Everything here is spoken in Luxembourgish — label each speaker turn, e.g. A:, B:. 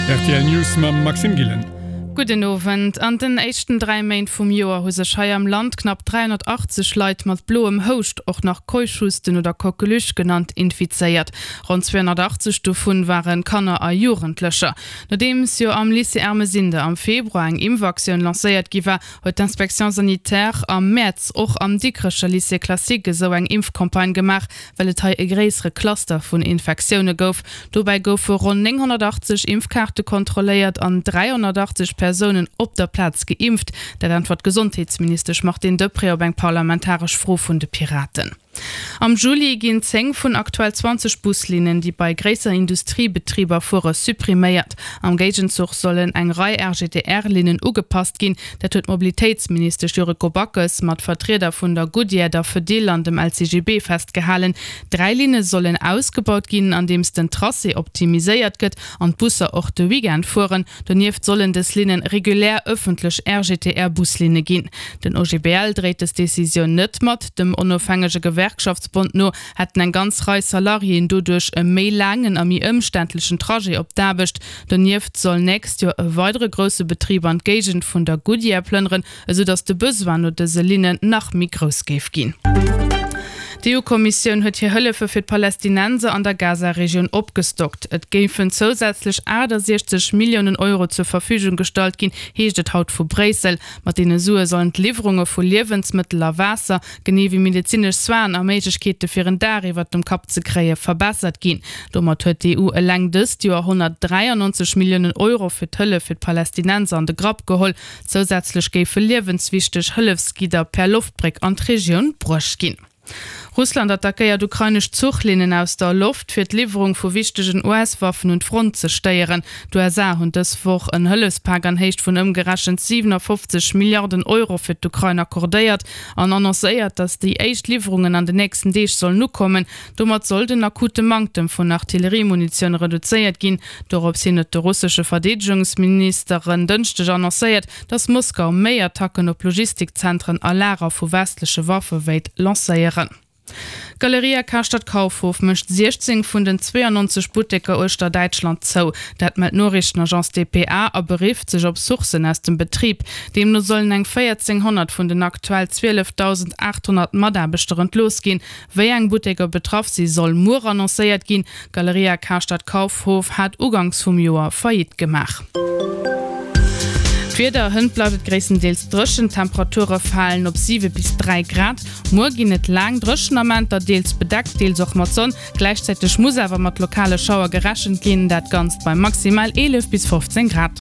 A: Rtl News mam Maxime Gillen.
B: Gudden Owend. An den éischten 3 Méint vum Joer hu sech hei am Land knapp 380 Leit mat bloem Houscht, och nach Keuchhusten oder Coqueluche genannt, infizéiert. Ronn 280 dovun ware Kanner a Jugendlecher. Nodeems jo am Lycée Ermesinde am Februar eng Impfaktioun lancéiert gi war, huet d'Inspection sanitaire am Mäerz och am Dikrecher Lycée classique esou eng Impfcampagne gemaach, well et hei e gréissere Cluster vun Infektioune gouf. Dobäi goufe ronn 980 Impfkaarte kontrolléiert an 380 Persounen op der Plaz geimpft. Dat äntwert d'Gesondheetsministesch Martine Deprez op eng parlamentaresch Fro vun de Piraten. Am Juli ginn 10 vun aktuell 20 Buslinnen, déi bei gréisser Industriebetriber fuere, suppriméiert. Am Géigenzuch sollen eng Rei RGTR-Linnen ugepasst ginn. Dat huet d'Mobilitéitsministesch Yuriko Backes mat Vertrieder vun der Goodyear, der Fedil an dem LCGB festgehalen. Dräi Linne sollen ausgebaut ginn, andeems den Tracé optimiséiert gëtt an d'Busser och de Weekend fueren. Donieft sollen dës Linne regulär ëffentlech RGTR-Buslinne ginn. Den OGBL dréit dës Decisioun net mat. Dem onofhängege Gewerkschaftsbond no hätten eng ganz Rei Salariéen doduerch e méi laangen a méi ëmständlechen Trajet op d'Aarbecht. Donieft soll nächst Joer e weidere grousse Betrib an d'Géigend vun der Goodyear plënneren, esou datt de Besoin no dëse Linnen nach méi grouss géif ginn. D'EU-Kommissioun huet hir Hëllefe fir d'Palästinenser an der Gaza-Regioun opgestockt. Et géifen zousätzlech 68 Milliounen Euro zur Verfügung gestallt ginn, heescht et haut vu Bréissel. Mat deene Sue sollen d'Liwwerunge vu Liewensmëttel a Waasser, genee wéi medezinesch Soinen a Méiglechkeete fir en Daach iwwert dem Kapp ze kréie verbessert ginn. Domat huet d'EU eleng dëst Joer 193 Milliounen Euro fir d'Hëllef fir d'Palästinenser an de Grapp geholl. Zousätzlech géife liewenswichteg Hëllefsgidder per Loftbréck an d'Regioun bruecht ginn. Russland attackéiert ukrainesch Zuchlinnen aus der Loft, fir d'Liwwerung vu wichtegen US-Waffen un d'Front ze stéieren. D'USA hunn dës Woch en Hëllefspak an Héicht vun ëmgerechent 57 Milliarden Euro fir d'Ukrain accordéiert an annoncéiert, datt déi éischt Liwwerungen an den nächsten Deeg sollen ukommen. Domat soll den akute Manktem vun Artilleriemunitioun reduzéiert ginn. Dorops hin huet de russesche Verdeedegungsminister en Dënschdeg annoncéiert, datt Moskau méi Attacken op Logistikzentren a Lager vu westleche Waffe wéilt lancéieren. D'Galeria Karstadt Kaufhof mécht 16 vun den 92 Butteker uechter Däitschland zou. Dat mellt d'Noriichtenagence dpa a berifft sech op Sourcen aus dem Betrib. Deemno sollen eng 1.400 vun den aktuell 12.800 Mataarbechter entlooss ginn. Wéi eng Butteker betraff si soll muer annoncéiert ginn. D'Galeria Karstadt Kaufhof hat uganks vum Joer Faillite gemaach. D'Wieder, Hënt bleift et gréisstendeels dréchen, d'Temperature falen op 7 bis 3 Grad. Muer ginn et laang dréchen Amenter, deels bedeckt, deels och mat Sonn. Gläichzäiteg muss awer mat lokale Schauer gerechent ginn, dat Ganzt bei maximal 11 bis 15 Grad.